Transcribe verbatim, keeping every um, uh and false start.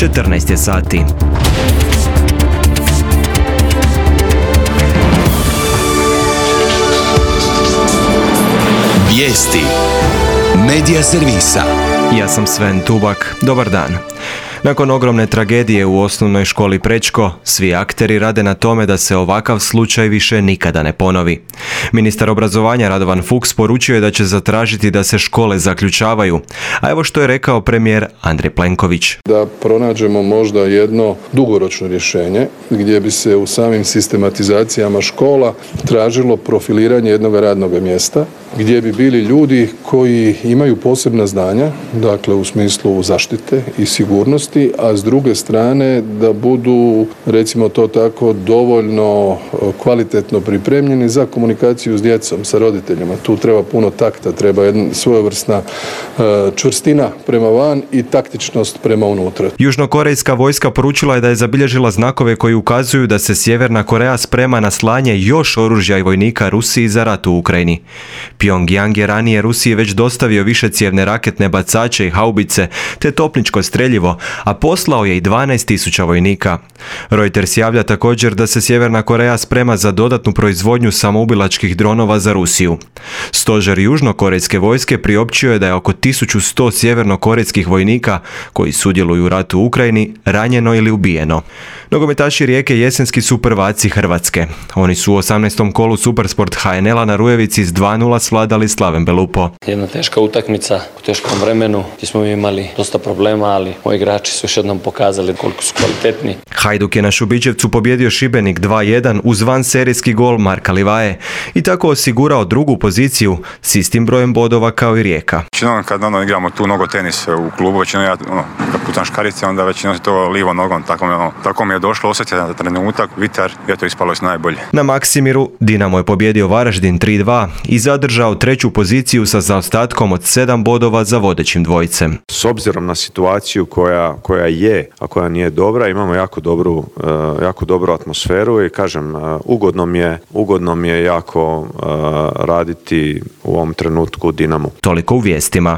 četrnaest je sati. Vijesti Medija servisa. Ja sam Sven Tubak. Dobar dan. Nakon ogromne tragedije u osnovnoj školi Prečko, svi akteri rade na tome da se ovakav slučaj više nikada ne ponovi. Ministar obrazovanja Radovan Fuchs poručio je da će zatražiti da se škole zaključavaju, a evo što je rekao premijer Andrej Plenković. Da pronađemo možda jedno dugoročno rješenje gdje bi se u samim sistematizacijama škola tražilo profiliranje jednog radnog mjesta, gdje bi bili ljudi koji imaju posebna znanja, dakle u smislu zaštite i sigurnosti, a s druge strane da budu, recimo to tako, dovoljno kvalitetno pripremljeni za komunikaciju s djecom, sa roditeljima. Tu treba puno takta, treba jedna svojevrsna čvrstina prema van i taktičnost prema unutra. Južnokorejska vojska poručila je da je zabilježila znakove koji ukazuju da se Sjeverna Koreja sprema na slanje još oružja i vojnika Rusiji za rat u Ukrajini. Pyongyang je ranije Rusiji već dostavio višecijevne raketne bacače i haubice te topničko streljivo, a poslao je i dvanaest tisuća vojnika. Reuters javlja također da se Sjeverna Koreja sprema za dodatnu proizvodnju samoubilačkih dronova za Rusiju. Stožer južnokorejske vojske priopćio je da je oko tisuću sto sjevernokorejskih vojnika koji sudjeluju u ratu u Ukrajini ranjeno ili ubijeno. Nogometaši Rijeke jesenski su prvaci Hrvatske. Oni su u osamnaestom kolu Supersport ha en el-a na Rujevici s dva nula svladali Slaven Belupo. Jedna teška utakmica u teškom vremenu gdje smo imali dosta problema, ali moji igrači su još jednom pokazali koliko su kvalitetni. Hajduk je na Šubićevcu pobjedio Šibenik dva jedan uz vanserijski gol Marka Livaje i tako osigurao drugu poziciju s istim brojem bodova kao i Rijeka. Većinom kad ono, igramo tu nogo tenis u klubu, većinom ja ono, kad putam škarice, onda većinom to livo nogom, tako, ono, tako mi je došlo osjetiti na trenutak, vitar, je to ispalo najbolje. Na Maksimiru Dinamo je pobjedio Varaždin tri dva i zadržao treću poziciju sa zaostatkom od sedam bodova za vodećim dvojicem. S obzirom na situaciju koja, koja je, a koja nije dobra, imamo jako dobru, uh, jako dobru atmosferu i kažem, uh, ugodno mi je, ugodno mi je jako uh, raditi u ovom trenutku u Dinamu. Toliko u vijestima.